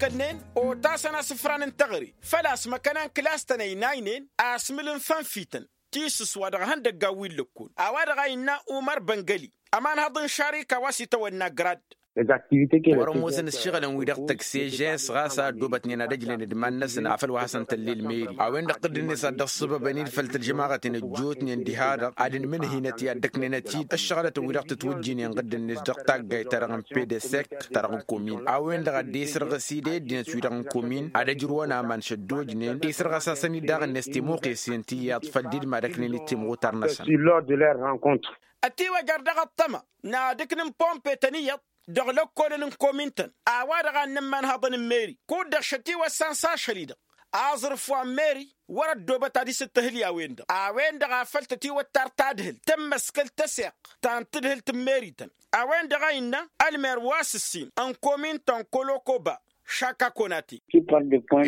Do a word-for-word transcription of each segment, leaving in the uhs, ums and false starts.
ǝkkălnen otasăn asǝfran n-teɣăre. Făl-a-s măkkăna n-kǝlas-tăn ăynaynen asmǝl n-fănfităn tisǝs wa dăɣ-ehăndăggan wi n-lăkkol a-wa-dăɣ a innă umăr băngăli ămanhăḍ n-šarika wa s-itawănna grad. Wăr-ămoosăn ǝššăɣǝlăn-wi-dăɣ tăkse žens ɣas a ăddoobătnen ad-ăjlen d-iman-năsăn afăl wa hasăn-tălla ilmeri a-wen-dăɣ tǝddǝnet ad-dd-ăṣṣăbăbăn-dd făll-tălžămaɣăten ăjjootnen diha-dăɣ ad-ǝnmǝnhǝynăt i-ad-dd-ăknăynăt-dd ăššăɣlătăn-wi-dăɣ tǝtwǝjjǝynen ɣǝddǝnet dăɣ-taggayt-ta-dăɣ n-pedesek ta-dăɣ n-komin a-wen-dăɣ a dd-esrăɣǝs-dd i-ăddinăt-wi-dăɣ n-komin ad-ăjrǝwăn aman šăddojnen isrăɣăs-asăn-dd daɣ-net timăwqesen ti iyyăḍ făll-dd-madăknen d-timɣutar-năsăn. Ătiwăjăr dăɣ-ăṭṭăma n-ad-ǝknǝn pompe-tăn iyyăḍ dăɣ-lăkkolăn n-komin-tăn a-wa-dăɣ a ǝnnăn imanhăḍăn n-meri kud-dăɣ šătiwăssan s-ašăl-i-dăɣ aẓrǝf wa n-meri wăr-ăddoobăt ad-isǝttǝhǝl i-a-wen-dăɣ a-wen-dăɣ a făl tătiwăttar tadhǝlt tămmăskăl tăseɣt ta n-tadhǝlt n-meri-tăn. A-wen-dăɣ a innă ălmer wa s-ǝssin n-komin-tăn kolokoba šaka konate.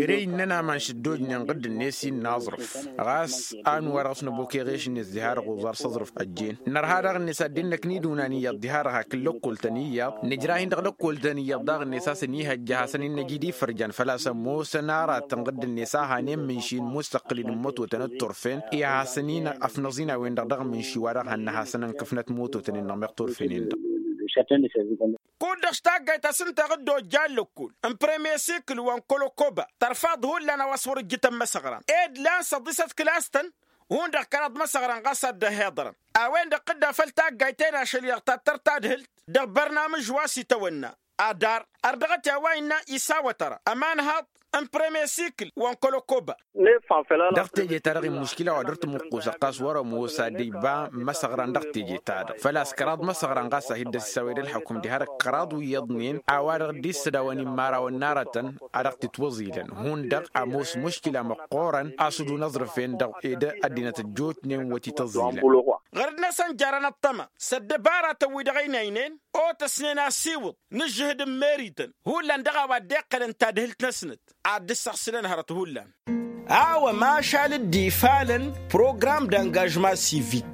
Ere innăn aman šăddojnen ɣǝdd-net innă aẓrǝf ɣas a ănwa-dăɣ s-năbok eɣeš-net diha-dăɣ uẓar s-aẓrǝf ăjjeen nărha daɣ-net ad-dd-innăkn idunan iyyăḍ diha-dăɣ hakd lăkkol-tăn iyyăḍ nǝjrah-in dăɣ-lăkkol-tăn iyyăḍ daɣ-net a-s ănihăjja ad-hasăn-in-năj idifărjan făl-a-s ămoosăn aratăn ɣǝdd-net a hanen mǝnši n-mussăqqǝl d-ǝmmătotăn d-turfen i-ad-hasăn-in-ăfnăẓ-in a-wen-dăɣ dăɣ-mǝnši wa dăɣ-hannăɣ hasăn-ănkăfnăt mototen-in-dăɣ meɣ turfen-in-dăɣ. Kud-dăɣ s-taggayt a-s ǝnta ɣǝddo ăjja ăllăkkol n-premiye sikǝl wa n-kolokoba tărfaḍ hullan a-wa s-wăr-ǝjjǝtăn imăsăɣran ed lan săḍisăt kǝlas-tăn hundăɣ kăraḍ imăsăɣran ɣas a dd-ăhhiḍărăn. A-wen-dăɣ tǝdda făll-taggayt-en ašăl-i-dăɣ tattăr tadhǝlt dăɣ-bărnamǝj wa s-itawănna adar ar dăɣ-t i-a-wa innă isawăt ara ămanhaḍ n-premiye sikǝl wa n-kolokoba. Dăɣ-teje-ta-dăɣ imuškila wa dăr-tǝmǝqqus ăqqas wăr-ămoos ad-iba imăsăɣran dăɣ-teje-ta-dăɣ făl-a-s kăraḍ imăsăɣran ɣas a hi-dd-ăsisawed ălḥăkum diha-dăɣ kăraḍ wi iyyăḍnen a-wa-dăɣ dd-issădawăn imărawăn n-aratăn a dăɣ-tǝtwăẓilăn hundăɣ ămoos muškila măqqoorăn a-s dd-unăẓrǝf-en-dăɣ ed ăddinăt ăjjootnen wăr t-tăẓilăn. Ɣărăd-năsăn jarăn ăṭṭăma s-ăddăbaratăn-wi-dăɣ ăynaynen otăsnen asiwǝḍ n-ǝžžǝhǝd n-merităn hullan dăɣ-a-wa dd-iqqălăn tadhǝlt-năsnăt ad-dd-ǝssăɣsǝlăn hărăt hullan. A-wa mašal dd-ifalăn program d-angažma sivik.